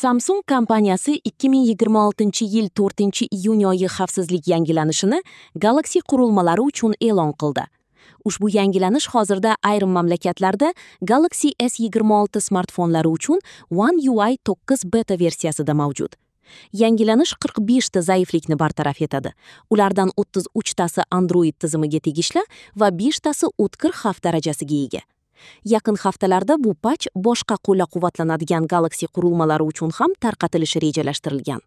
Samsung kompaniyasi 2026-yil 4-iyun oyi xavfsizlik yangilanishini Galaxy qurilmalari uchun e'lon qildi. Ushbu yangilanish hozirda ayrim mamlakatlarda Galaxy S26 smartfonlari uchun One UI 9 beta versiyasida mavjud. Yangilanish 45 ta zaiflikni bartaraf etadi. Ulardan 33 tasi Android tizimiga tegishli va 5 tasi o'tkir xavf darajasiga ega. Yaqin haftalarda bu patch boshqa qo'llab-quvvatlanadigan Galaxy qurilmalari uchun ham tarqatilishi rejalashtirilgan.